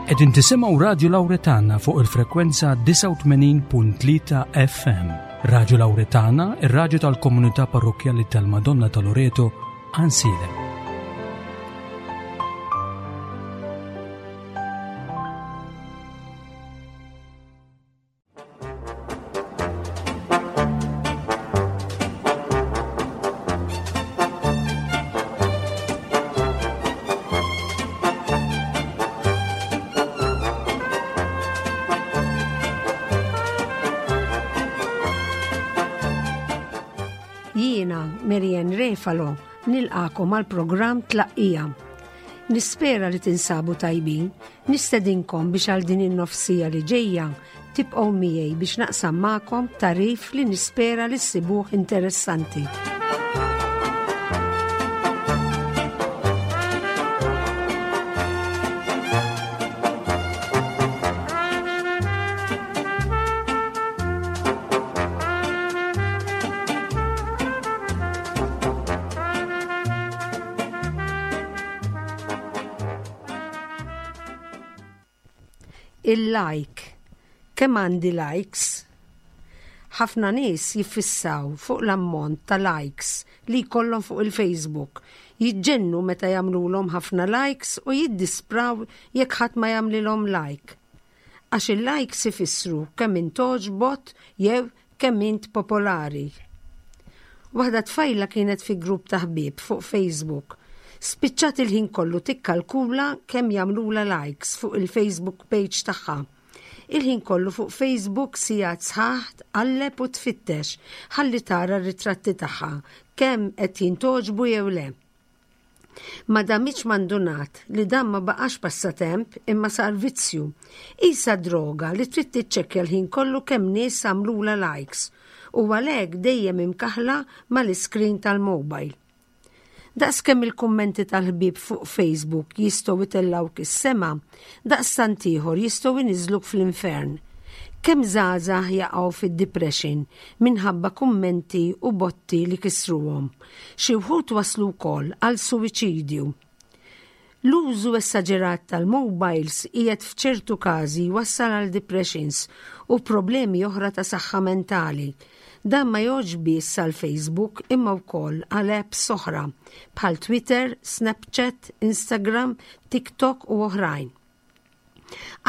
Qegħdin tisimgħu Radju Lawretana fuq il-frekwenza 89.3 FM. Radju Lawretana, ir-radju tal-komunità parrokkjali tal-Madonna ta' Loreto, Ansiedem. Jiena, Marianne Refalo, nilqakom għal programm Tlaqqija. Nispera li tinsabu tajbin, nistedinkom biex għal din in-nofsija li ġejja Tibqgħu miegħi biex naqsam magħkom tagħrif li nispera li ssibuh interessanti. Il-like. Kemm għandi likes? Ħafna nies jiffissaw fuq l-ammont ta' likes li jkollhom fuq il-Facebook. Jiġġennu meta jagħmlulhom ħafna likes u jiddispraw jekk ħadd ma jagħmlilhom like. Għax il-likes ifissru kemm int togħġbot jew Kemm int popolari. Waħda tfajla kienet fi grupp ta' ħbieb fuq Facebook. Spiċċat il-ħin kollu tikkalkula kemm jagħmlulha likes fuq il-Facebook page tagħha. Il-ħin kollu fuq Facebook sigħat sħaħ tqalleb u tfittex ħalli tara r-ritratti tagħha kemm qed jintgħoġbu jew le. Ma damitx ma ndunat li dan ma baqax passatemp imma sar vizzju. Qisha droga li trid tiċċekkja l-ħin kollu kemm nies għamlulha likes u għalhekk dejjem imkaħħla mal-iskrin tal-mobile. Daqskemm il-kummenti tal-ħbieb fuq Facebook jistgħu jtellgħuk is-sema, daqstant ieħor jistgħu jniżżluk fl-infern. Kemm żgħażagħ jaqgħu fid-depression minħabba kummenti u botti li kissruhom. Xi wħud waslu wkoll għal suwiċidju. L-użu essaġerat tal-mobiles qiegħed f'ċertu każi jwassal għal depressions u problemi oħra ta' saħħa mentali. Dan ma jgħoddx biss għal Facebook imma wkoll għal apps oħra bħal Twitter, Snapchat, Instagram, TikTok u oħrajn.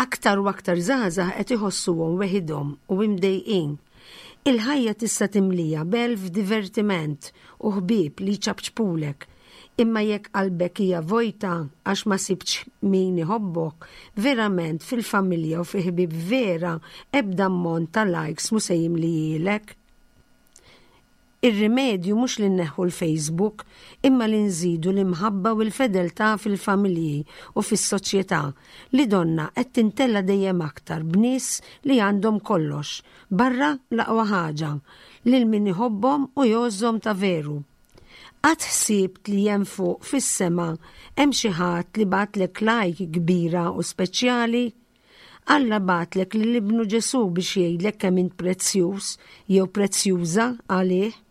Aktar u aktar żgħażagħ qed iħossuhom weħidhom u imdejqin. Il-ħajja tista' timlija b'elf divertiment u ħbieb li jċapċpulek. Imma jekk qalbek hija vojta għax ma sibtx min iħobbok, verament fil-familja u fi ħbieb vera ebda ammont ta' likes mhu se jimlihielek. Ir-rimedju mhux li nneħħu l-Facebook imma li nżidu l-imħabba u l-fedeltà fil-familji u fis-soċjetà li donnha qed tintela' dejjem aktar b'nies li għandhom kollox, barra l-aqwa ħaġa, lil min iħobbhom u jgħożżhom ta' veru. Qatt ħsibt li hemm fuq fis-sema hemm xi ħadd li bagħatlek like kbira u speċjali? Alla bagħatlek lil Ibnu Ġesù biex jgħidlek kemm int prezzjuż jew prezzjuża għalih.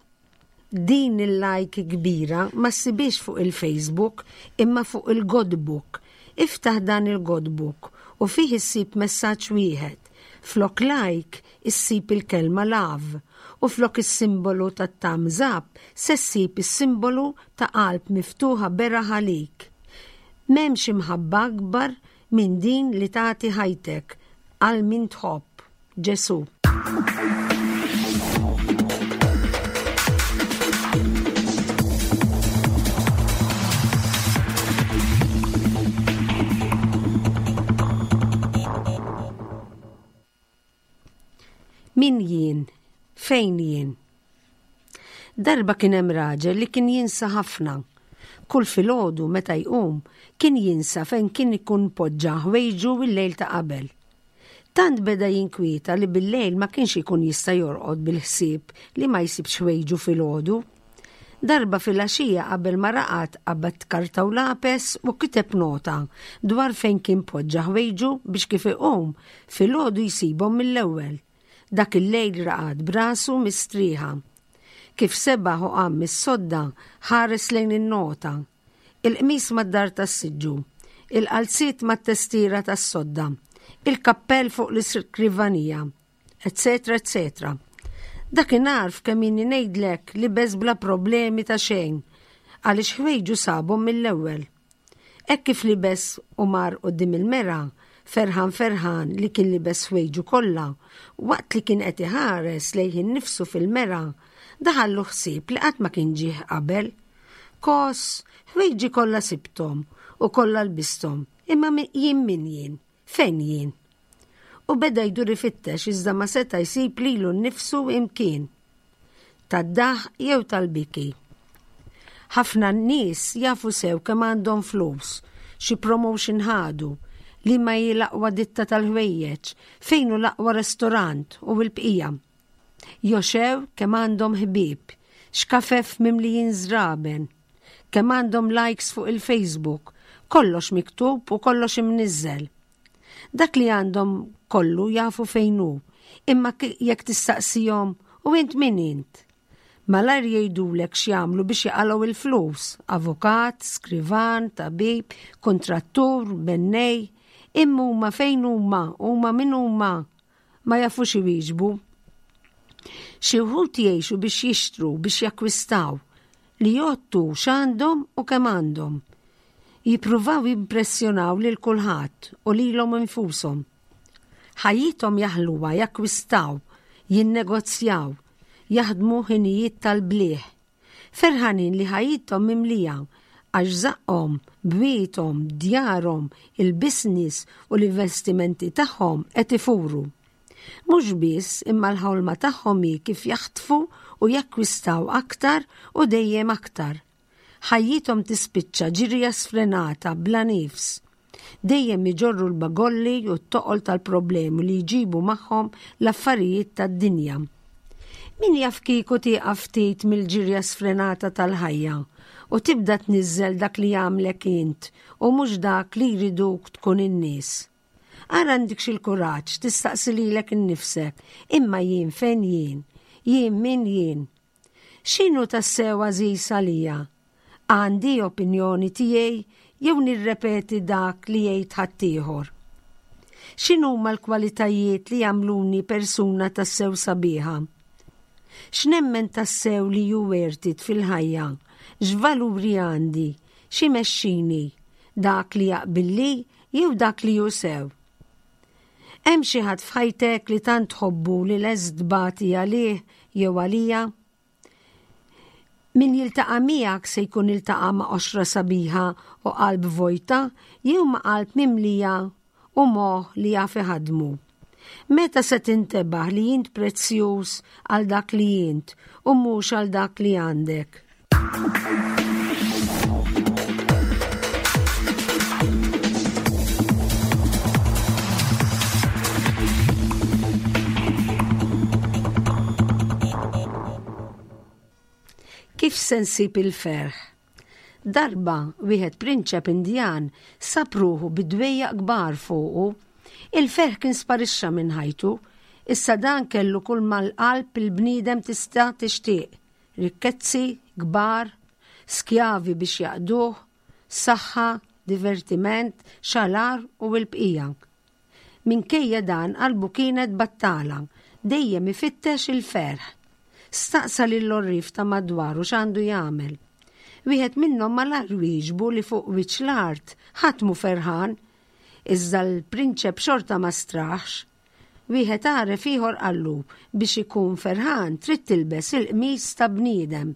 Din il-like kbira ma ssibhiex fuq il-Facebook imma fuq il-Godbook. Iftaħ dan il-Godbook u fih issib messaġġ wieħed. Flok like issib il-kelma love u flok is-simbolu tat-thumbs up se ssib is-simbolu ta' qalb miftuħa beraħ għalik. M'hemmx imħabba akbar Minn din li tagħti ħajtek għal min tħobb. Ġesù. Min jien? Fejn jien? Darba kien hemm raġel li kien jinsa ħafna. Kull filgħodu meta jqum kien jinsa fejn kien ikun poġġa ħwejġu l-lejl ta' qabel. Tant beda jinkwieta li bil-lejl ma kienx ikun jista' jorqod bil-ħsieb li ma jsibx ħwejġu filgħodu. Darba filgħaxija qabel ma raqad qabad karta u lapes u kiteb nota dwar fejn kien poġġa ħwejġu biex kif iqum filgħodu jsibhom mill-ewwel. Dak il-lejl raqad b'rasu mistrieħa. Kif sebaħ u qam mis-sodda, ħares lejn in-nota. Il-qmis mad-dar tas-siġġu. Il-qalziet mat-testiera tas-sodda, il-kappell fuq l-iskrivanija, eċċetera eċċetera. Dakinhar f'kemm inni ngħidlek libes bla problemi ta' xejn għaliex ħwejġu sabhom mill-ewwel. Hekk kif libes u mar quddiem il-mera, ferħan ferħan li kien libes ħwejġu kollha, waqt li kien qed iħares lejh innifsu fil-mera, daħallu ħsieb li qatt ma kien ġieh qabel. Kos, ħwejġi kollha sibthom u kollha lbisthom, imma jien min jien? Fejn jien? U beda jdur ifittex iżda ma seta' jsib lilu nnifsu imkien. Tad-daħq jew tal-biki. Ħafna nies jafu sew kemm għandhom flus, xi promotion ħadu, liema hi l-aqwa ditta tal-ħwejjeġ, fejn hu l-aqwa restorant u l-bqija. Joxew kemm għandhom ħbieb, x'kafef mimlijin żraben, kemm għandhom likes fuq il-Facebook, kollox miktub u kollox imniżżel. Dak li għandhom kollu jafu fejn hu, imma jekk tistaqsihom u int min int? Malajr jgħidulek x'jagħmlu biex jaqalgħu il-flus, avukat, skrivan, tabib, kuntrattur, bennej, imma huma fejn huma, huma min huma, ma jafux iwieġbu. Xi wħud jgħixu biex jixtru, biex jakkwistaw, li jgħottu x'għandhom u kemm għandhom. Jippruvaw jimpressjonaw lil kulħadd u lilhom infushom. Ħajjithom jaħluha jakkwistaw, jinnegozjaw, jaħdmu ħinijiet tal-blieh. Ferħanin li ħajjithom mimlija għax żaqqhom, bwiethom, djarhom, il-business u l-investimenti tagħhom qed ifuru. Mhux biss imma l-ħolma tagħhom hi kif jaħtfu u jakkwistaw aktar u dejjem aktar. Ħajjithom tispiċċa ġirja sfrenata bla nifs. Dejjem iġorru l-bagolli u t-toqol tal-problemi li jġibu magħhom l-affarijiet tad-dinja. Min jaf kieku tieqaf ftit mill-ġirja sfrenata tal-ħajja u tibda tniżżel dak li jagħmlek int u mhux dak li jriduk tkun in-nies. Ara għandikx il-kuraġġ tistaqsi lilek innifsek, imma jien fejn jien? Jien min jien? X'inhu tassew għażiż għalija? Għandi opinjoni tiegħi jew nirrepeti dak li jgħid ħaddieħor? X'inhuma l-kwalitajiet li jagħmluni persuna tassew sabiħa? X'nemmen tassew li hu worth it fil-ħajja? X'valuri għandi? X'imexxini? Dak li jaqbilli jew dak li hu sew? Hemm xi ħadd f'ħajtek li tant tħobbu li lest tbati għalih jew għalija? Min jiltaqa' miegħek se jkun iltaqa' ma' qoxra sabiħa u qalb vojta jew ma' qalb mimlija u moħħ li jaf iħaddmu? Meta se tintebaħ li int prezzjuż għal dak li int u mhux għal dak li għandek? Kif se nsib il-ferħ? Darba wieħed prinċep Indjan sab ruħu bi dwejjaq kbar fuqu. Il-ferħ kien sparixxa minn ħajtu. Issa dan kellu kull mal-qalb il-bniedem tista' tixtieq. Rikkezzi kbar, skjavi biex jaqduh, saħħa, divertiment, xalar u l-bqija. Minkejja dan qalbu kienet battala, dejjem ifittex il-ferħ. Staqsa lill-għorrief ta' madwaru x'għandu jagħmel. Wieħed minnhom malajr wieġbu li fuq wiċċ l-art ħadd mhu ferħan. Iżda l-prinċep xorta ma straħx. Wieħed għaref ieħor qallu biex ikun ferħan trid tilbes il-qmis ta' bniedem.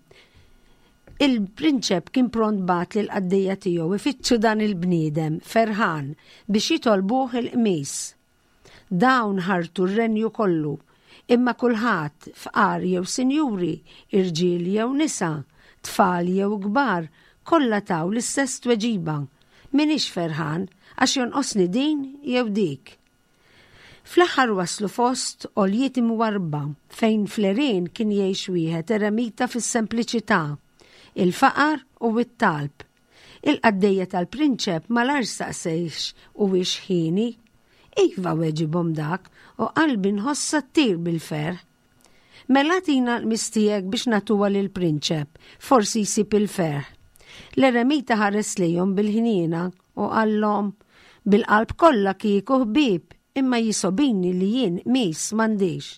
Il-prinċep kien pront bagħat lill-qaddejja tiegħu ifittxu dan il-bniedem ferħan biex jitolbuh il-qmis. Dawn ħartu r-renju kollu, imma kulħadd, fqar jew sinjuri, irġiel jew nisa, tfal jew kbar, kollha taw l-istess tweġiba, M'iniex ferħan għax jonqosni din jew dik. Fl-aħħar waslu fost għoljiet imwarrba fejn fl-għerien kien jgħix wieħed eremita fis-sempliċità, il-faqar u t-talb. Il-qaddejja tal-prinċep malajr staqsejhx huwiex ħieni. Iva weġibhom dak, u qalbi nħossha ttir bil-ferħ. Mela agħtina l-qmis tiegħek biex nagħtuha lill-prinċep, forsi jsib il-ferħ. L-eremita ħares lejhom bil-ħniena. u qallhom, Bil-qalb kollha kieku ħbieb, imma jisobini li jien qmis m'għandix.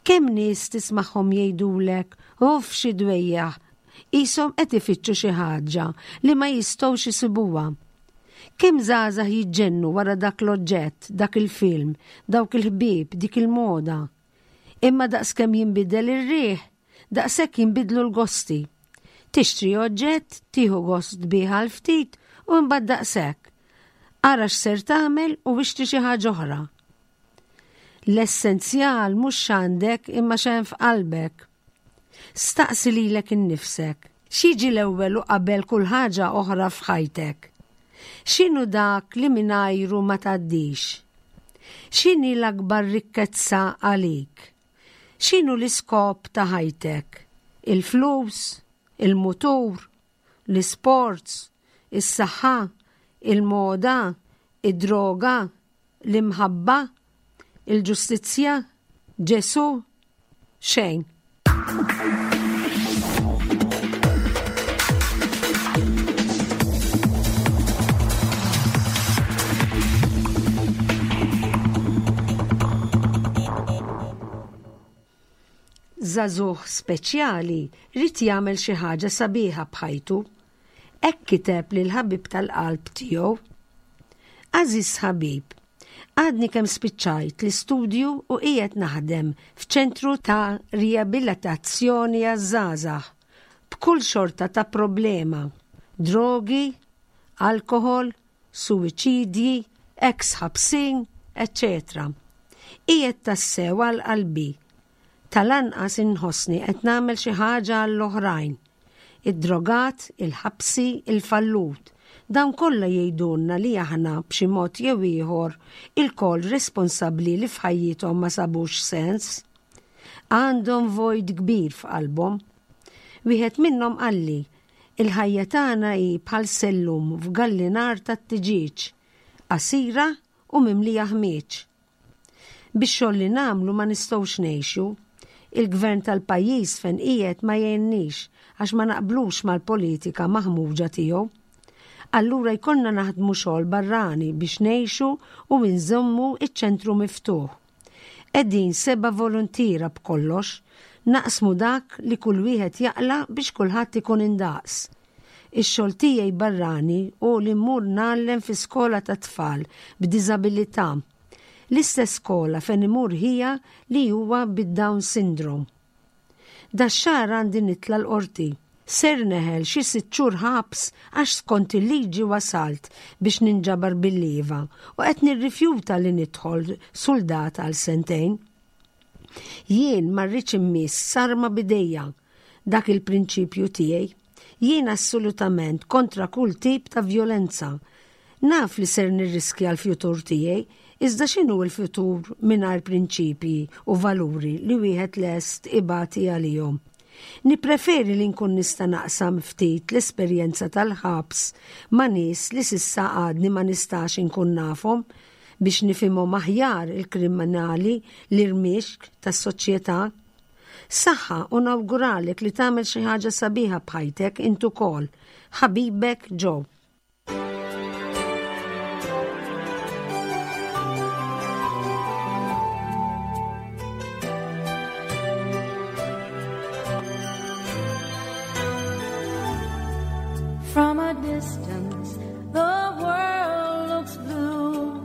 Kemm nies tismagħhom jgħidulek, Uff xi dwejjaq, qishom qed ifittxu xi ħaġa li ma jistgħux isibuha. Kemm żgħażagħ jiġġennu wara dak l-oġġett, dak il-film, dawk il-ħbieb, dik il-moda. Imma daqskemm jinbidel ir-riħ, daqshekk jinbidlu l-gosti. Tixtri oġġett, tieħu gost bih għal ftit u imbagħad daqshekk. Ara x'ser tagħmel u ixtri xi ħaġa oħra. L-essenzjal mhux x'għandek imma x'hemm f'qalbek. Staqsi lilek innifsek, x'jiġi l-ewwel u qabel kull ħaġa oħra f'ħajtek? X'inhu dak li mingħajru ma tgħaddix? X'inhi l-akbar rikkezza għalik? X'inhu l-iskop ta' ħajtek? Il-flus? Il-mutur? L-isports? Is-saħħa? Il-moda? Id-droga? L-imħabba? Il-ġustizzja? Ġesù? Xejn. Żagħżugħ speċjali ried jagħmel xi ħaġa sabiħa b'ħajtu. Hekk kiteb lill-ħabib tal-qalb tiegħu. Għażiż ħabib, għadni kemm spiċċajt l-istudju u qiegħed naħdem f'ċentru ta' riabilitazzjoni għaż-żgħażagħ b'kull xorta ta' problema, drogi, alkoħol, suwiċidji, eks ħabsin, eċċetera Qiegħed tassew għal qalbi. Tal-anqas inħossni qed nagħmel xi ħaġa għall-oħrajn. Id-drogat, il-ħabsi, il-fallut. Dawn kollha jgħidulna li aħna, b'xi mod jew ieħor, ilkoll responsabbli li f'ħajjithom ma sabux sens. Għandhom vojt kbir f'qalbhom. Wieħed minnhom qalli, Il-ħajja tagħna hi bħal sellum f'gallinar tat-tiġieġ, qasira u mimlija ħmieġ. Bix-xogħol li nagħmlu ma nistgħux ngħixu. Il-gvern tal-pajjiż fejn qiegħed ma jgħinnix għax ma naqblux mal-politika maħmuġa tiegħu. Allura jkollna naħdmu xogħol barrani biex ngħixu u nżommu ċ-ċentru miftuħ. Qegħdin seba' voluntiera b'kollox, naqsmu dak li kull wieħed jaqla' biex kulħadd ikun indaqs. Ix-xogħol tiegħi barrani hu li mmur ngħallem fi skola tat-tfal b'diżabilità. L-istess skola fejn imur ħija li huwa bid-Down syndrome. Dax-xahar għandi nitla' l-Qorti. Ser neħel xi sitt xhur ħabs għax skont il-liġi wasalt biex ninġabar bil-lieva u qed nirrifjuta li nidħol suldat għal sentejn. Jien ma rridx immiss sarma b'idejja. Dak il-prinċipju tiegħi. Jien assolutament kontra kull tip ta' vjolenza. Naf li ser nirriskja l-futur tiegħi, iżda x'inhu l-futur mingħajr prinċipji u valuri li wieħed lest ibati għalihom? Nippreferi li nkun nista' naqsam ftit l-esperjenza tal-ħabs ma' nies li s'issa għadni ma nistax inkun nafhom biex nifhimhom aħjar il-kriminali l-irmixk tas-soċjetà. Saħħa u nawguralek li tagħmel xi ħaġa sabiħa b'ħajtek int ukoll. Ħabibek Joe. From a distance, the world looks blue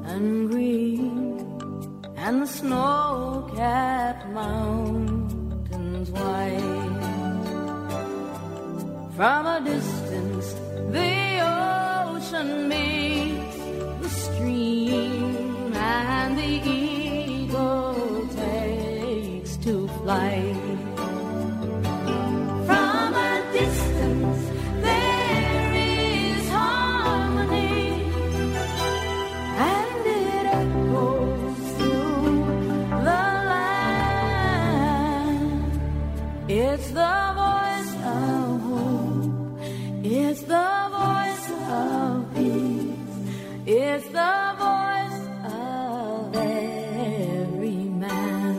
and green, and the snow-capped mountains white. From a distance, the ocean meets the stream, and the eagle takes to flight. From a distance, there is harmony, and it echoes through the land. It's the voice of hope, it's the voice of peace, it's the voice of every man.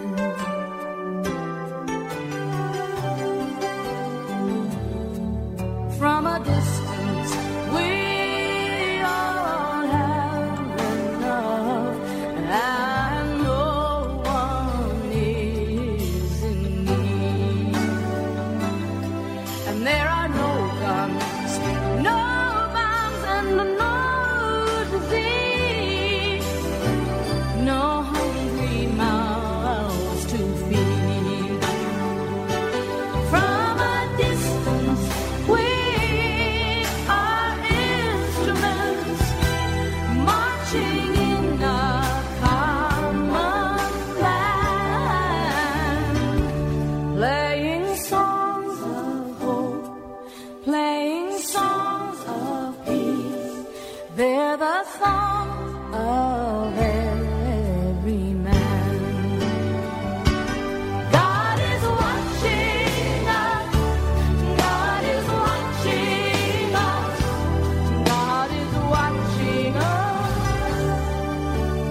From a distance we the song of every man. God is watching us. God is watching us. God is watching us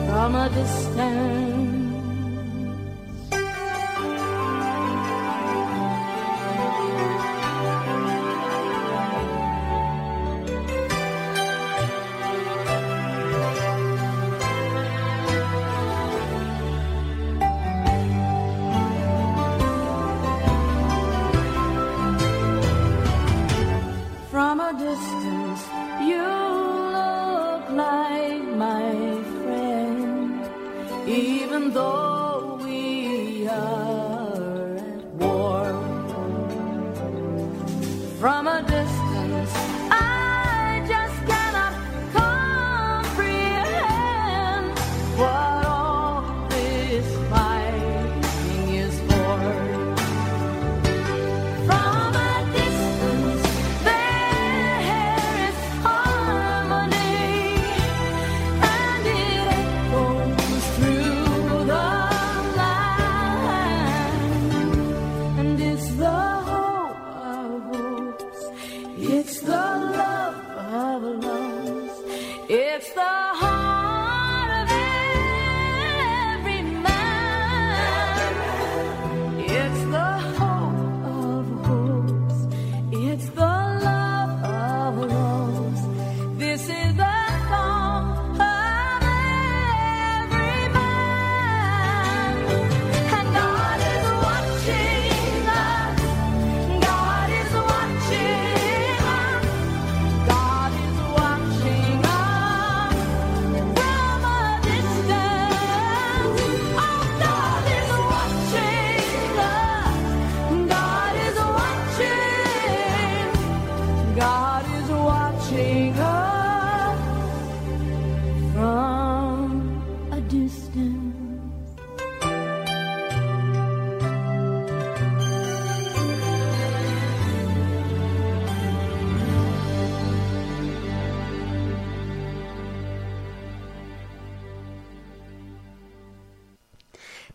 from a distance. From a distance, you look like my friend, even though we are at war. From a distance, I just cannot comprehend what all this fighting is for. From a distance, there is harmony, and it echoes through the land. And it's the hope of hopes, it's the love of loves, it's the heart of every man. It's the hope of hopes, it's the love of loves. This is the song of every man. And God is watching us. God is watching us. God is watching us from a distance. Oh, God is watching us. God is watching. God is watching us from a distance.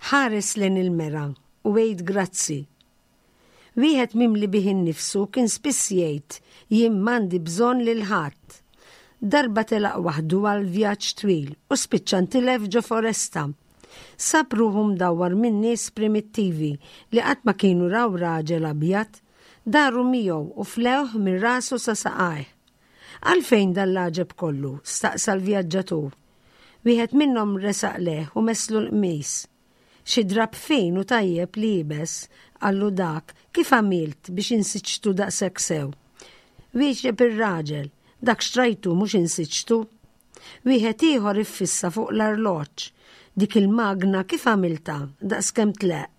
Ħares lejn il-mera u għid grazzi. Wieħed mimli bih innifsu kien spiss jgħid jien m'għandi bżonn lil ħadd. Darba telaq waħdu għal vjaġġ twil u spiċċa ntilef ġo foresta. Sab ruħu mdawwar minn nies primittivi li qatt ma kienu raw raġel abjad. Daru miegħu u flewh minn rasu sa saqajh. Għalfejn dan l-għaġeb kollu? staqsa l-vjaġġatur. Wieħed minnhom resaq lejh u messlu l-qmis. Xi drapp fin u tajjeb liebes, qallu dak, kif għamilt biex insiġtu daqshekk sew? Wieġeb ir-raġel, dak xtrajtu mhux insiġtu. Wieħed ieħor iffissa fuq l-arloġġ. Dik il-magna kif għamiltha daqskemm tleqq?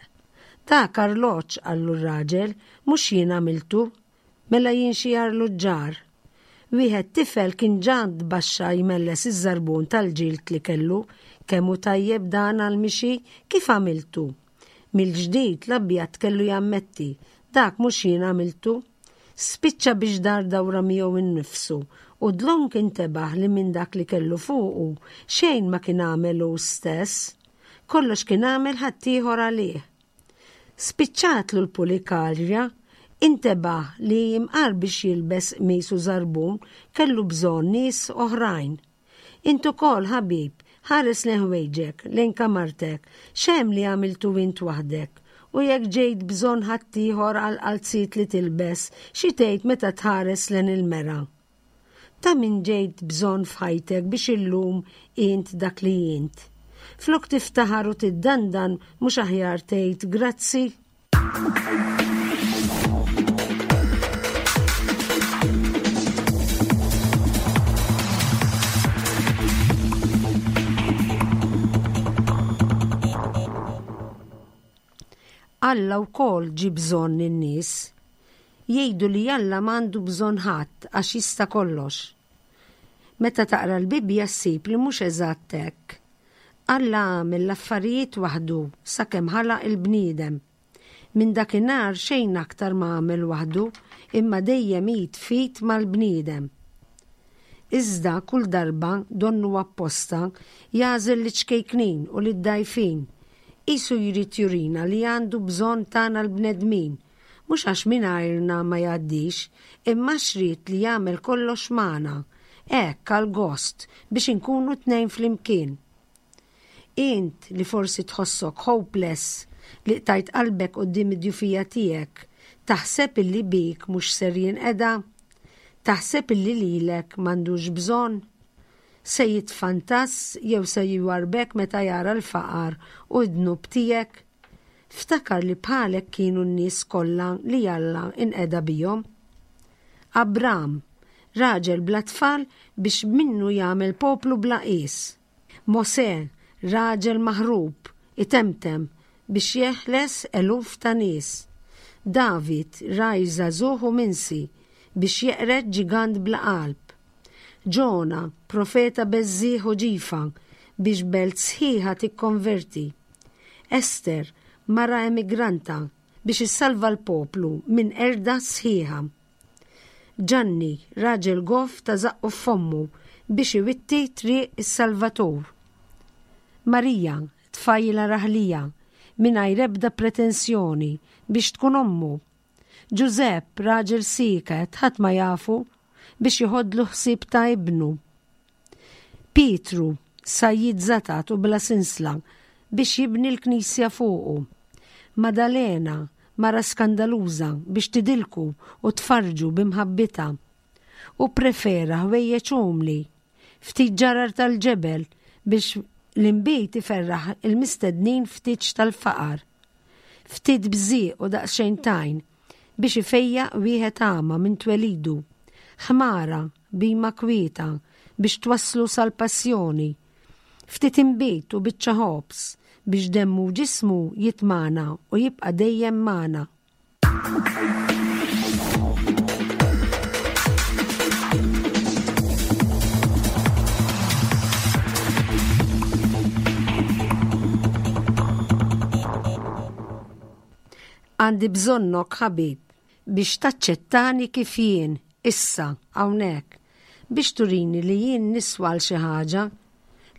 Dak arloġġ, qallu r-raġel, mhux jien għamiltu. Mela jien xi arluġġar. Wieħed tifel kien ġa tbaxxa jmelles iż-żarbun tal-ġild li kellu. Kemm hu tajjeb dan għall-mixi, kif għamiltu? Mill-ġdid l-abjad kellu jammetti, dak mhux jien għamiltu. Spiċċa biex dar dawra miegħu nnifsu u dlonk intebaħ li minn dak li kellu fuqu xejn ma kien għamel hu stess. Kollox kien għamel ħaddieħor għalih. Spiċċatlu l-pulikarja, intebaħ li imqar biex jilbes qmis u żarbun kellu bżonn nies oħrajn. Int ukoll, ħabib, ħares lejn ħwejġek, lejn kamartek, x'hemm li għamiltu int waħdek? U jekk ġejt bżonn ħaddieħor għall-qalziet li tilbes, xi tgħid meta tħares lejn il-mera? Ta' min ġejt bżonn f'ħajtek biex illum int dak li int? Flok tiftaħar u tiddandan mhux aħjar tgħid grazzi? Alla wkoll ġie bżonn in-nies. Jgħidu li Alla m'għandu bżonn ħadd għax jista' kollox. Meta taqra l-Bibbja ssib li mhux eżatt hekk. Alla għamel l-affarijiet waħdu sakemm ħalaq il-bniedem. Minn dakinhar xejn aktar ma għamel waħdu imma dejjem id f'id mal-bniedem. Iżda kull darba, donnu apposta, jagħżel liċ-ċkejknin u lid-dgħajfin. Qisu jrid jurina li għandu bżonn tagħna l-bnedmin, mhux għax mingħajrna ma jgħaddix, imma għax ried li jagħmel kollox magħna, hekk għall-gost, biex inkunu tnejn flimkien. Int li forsi tħossok hopeless, li qtajt qalbek quddiem id-djufija tiegħek, taħseb illi bik mhux ser jinqeda? Taħseb illi lilek m'għandux bżonn? Se jitfantass jew se jwarrbek meta jara l-faqar u d-dnub tiegħek? Ftakar li bħalek kienu n-nies kollha li Alla inqeda bihom. Abram, raġel bla tfal biex minnu jagħmel poplu bla qies. Mosè, raġel maħrub, itemtem biex jeħles eluf ta' nies. David, ragħaj żagħżugħ u minsi, biex jeqred ġigant bla qalb. Ġona, profeta beżżiegħ u ġifa, biex belt sħiħa tikkonverti. Ester, mara emigranta, biex issalva l-poplu minn qerda sħiħa. Ġanni, raġel goff ta' żaqqu f'fommu biex iwitti triq is-Salvatur. Marija, tfajla raħlija, mingħajr ebda pretensjoni biex tkun ommu. Ġużepp, raġel sieket, ħadd ma jafu, biex joħodlu ħsieb ta' ibnu. Pietru, sajjied żatat u bla sinsla, biex jibni l-knisja fuqu. Madalena, mara skandaluża, biex tidilku u tfarrġu bi mħabbitha. Hu pprefera ħwejjeġ umli, ftit ġarar tal-ġebel biex l-inbid iferraħ il-mistednin ftit tal-faqar. Ftit bżieq u daqsxejn tajn biex ifejjaq wieħed agħma minn twelidu. Ħmara bhima kwieta biex twasslu sal-passjoni. Ftit inbid u biċċa ħobż biex demmu u ġismu jitmagħna u jibqa' dejjem magħna. Għandi bżonnok ħabib biex taċċettani kif jien, issa, hawnhekk, biex turini li jien niswa għal xi ħaġa,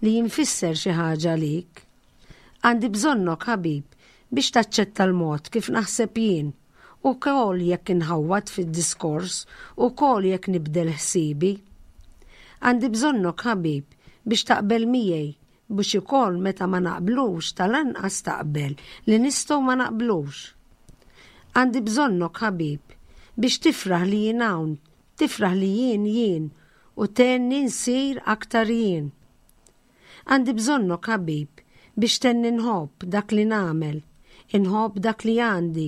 li jien nfisser xi ħaġa għalik. Għandi bżonnok, ħabib, biex taċċetta l-mod kif naħseb jien, ukoll jekk inħawwad fid-diskors, ukoll jekk nibdel ħsiebi. Għandi bżonnok, ħabib, biex taqbel miegħi, biex ukoll meta ma naqblux tal-anqas taqbel li nistgħu ma naqblux. Għandi bżonnok, ħabib, biex tifraħ li jien hawn, tifraħ li jien jien u tgħinni nsir aktar jien. Għandi bżonnok, ħabib, biex tgħinni nħobb dak li nagħmel, inħobb dak li għandi,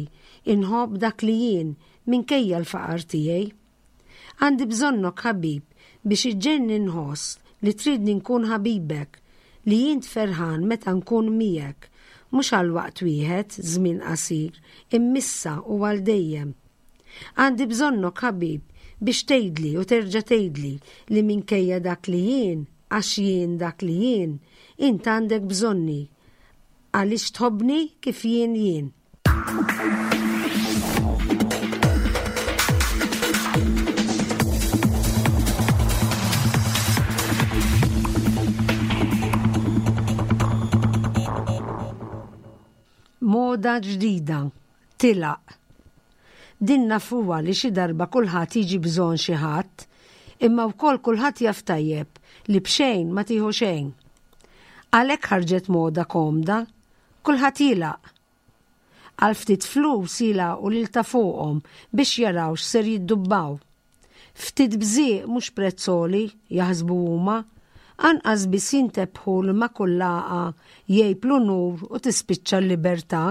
inħobb dak li jien minkejja l-faqar tiegħi. Għandi bżonnok, ħabib, biex iġġegħelni nħoss li tridni nkun ħabibek, li int ferħan meta nkun miegħek, mhux għal waqt wieħed, żmien qasir, imma issa u għal dejjem. Għandi bżonnok, ħabib, biex tgħidli u terġa' tgħidli li minkejja dak li jien, għax jien dak li jien, int għandek bżonni, għaliex tħobbni kif jien jien. Moda ġdida, tilaq. Din nafuha li xi darba kulħadd jiġi bżonn xi ħadd, imma wkoll kulħadd jaf tajjeb li b'xejn ma tieħu xejn. Għalhekk ħarġet moda komda, kulħadd jilaq. Għal ftit flus jilagħqu lil ta' fuqhom biex jaraw x'ser jiddubbaw. Ftit bżieq mhux prezz għoli, jaħsbu huma. Anqas biss jintebħu li ma' kull lagħqa jgħib l-unur u tispiċċa l-libertà.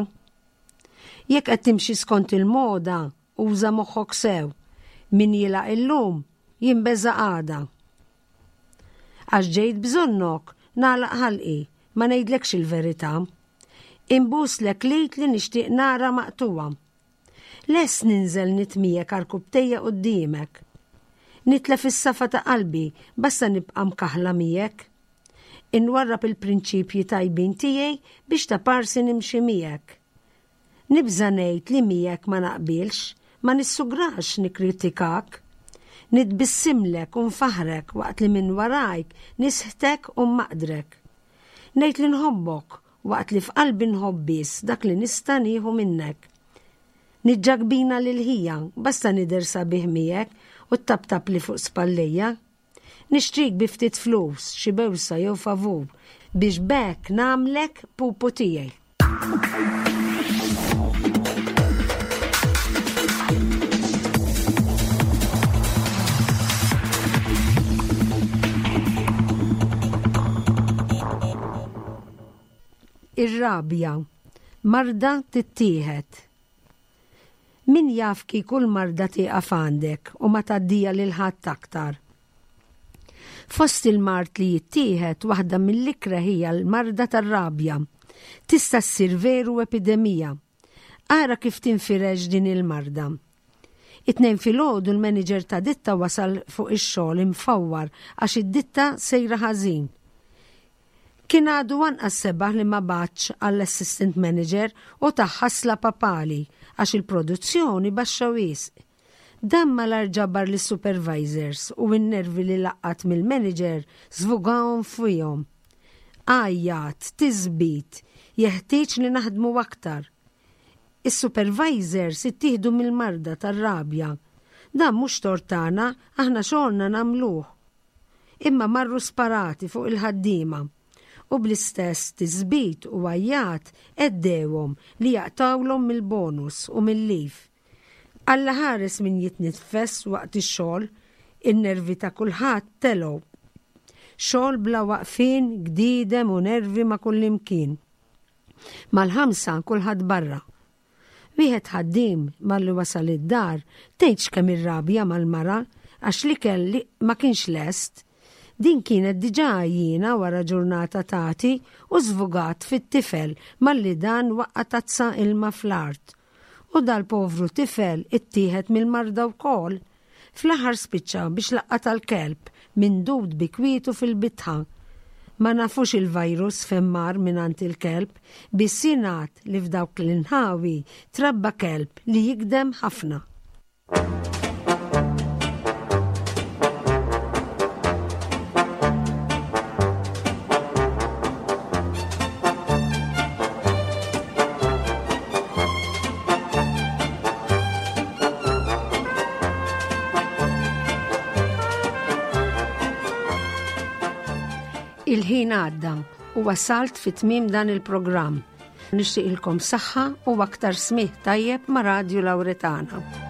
Jekk qed timxi skont il-moda, uża moħħok sew. Min jilgħaq illum, jinbeża' għada. Għax ġejt bżonnok, nagħlaq ħalqi, ma ngħidlekx il-verità. Inbuslek l-id li nixtieq nara maqtugħa. Lest ninżel nitmiegħek għarkupptejja quddiemek. Nitlef is-safa ta' qalbi basta nibqa' mkaħħla miegħek. Inwarrab il-prinċipji tajbin tiegħi biex ta' parsi nimxi miegħek. Nibża' ngħid li miegħek ma naqbilx, ma nissugrax nikkritikak. Nitbissimlek u nfaħħrek waqt li minn warajk nisħtek u mmaqdrek. Ngħid li nħobbok waqt li f'qalbi nħobb biss dak li nista' nieħu minnek. Niġġagbina lil ħija, basta nidher sabiħ miegħek u ttaptapli fuq spallejja. Nixtrik bi ftit flus, xi bewsa jew favur, biex b'hekk nagħmlek pupu tiegħi. Ir-rabja, marda tittieħed. Min jaf kieku l-marda tieqaf għandek u ma tgħaddija lil ħadd aktar. Fost il-mard li jittieħed, waħda mill-ikreh hija l-marda tar-rabja. Tista' ssir veru epidemija. Ara kif tinfirex din il-marda. It-Tnejn filgħodu l-manager ta' ditta wasal fuq ix-xogħol imfawwar għax id-ditta sejra ħażin. Kien għadu anqas sebaħ li ma bagħatx għall-assistant manager u tah ħasla papali għax il-produzzjoni baxxa wisq. Dan malajr ġabar lis-supervisors u n-nervi li laqqat mill-manager żvugahom fihom. Għajjat, tisbit, jeħtieġ li naħdmu aktar. Is-supervisors ittieħdu mill-marda tar-rabja. Dan mhux tort tagħna, aħna xogħolna nagħmluh. Imma marru sparati fuq il-ħaddiema u bl-istess tisbit u għajjat għeddewhom li jaqtgħulhom mill-bonus u mil-leave. Alla ħares min jitniffes waqt ix-xogħol, in-nervi ta' kulħadd telgħu. Xogħol bla waqfien, gdiedem u nervi ma' kullimkien. Mal-ħamsa kulħadd barra. Wieħed ħaddiem malli wasal id-dar tgħidx kemm irrabja mal-mara għax l-ikel li ma kienx lest. Din kienet diġà għajjiena wara ġurnata tagħti u żvugat fit-tifel malli dan waqqa' tazza ilma fl-art. U dal-povru tifel ittieħed mill-marda wkoll. Fl-aħħar spiċċa biex laqqatha l-kelb mindud bi kwietu fil-bitħa. Ma nafux il-virus fejn mar mingħand il-kelb, biss jingħad li f'dawk l-inħawi trabba kelb li jigdem ħafna. Il-ħin għadda u wasalt fi tmiem dan il-programm. Nixtieqilkom saħħa u aktar smih tajjeb ma' Radju Lauretana.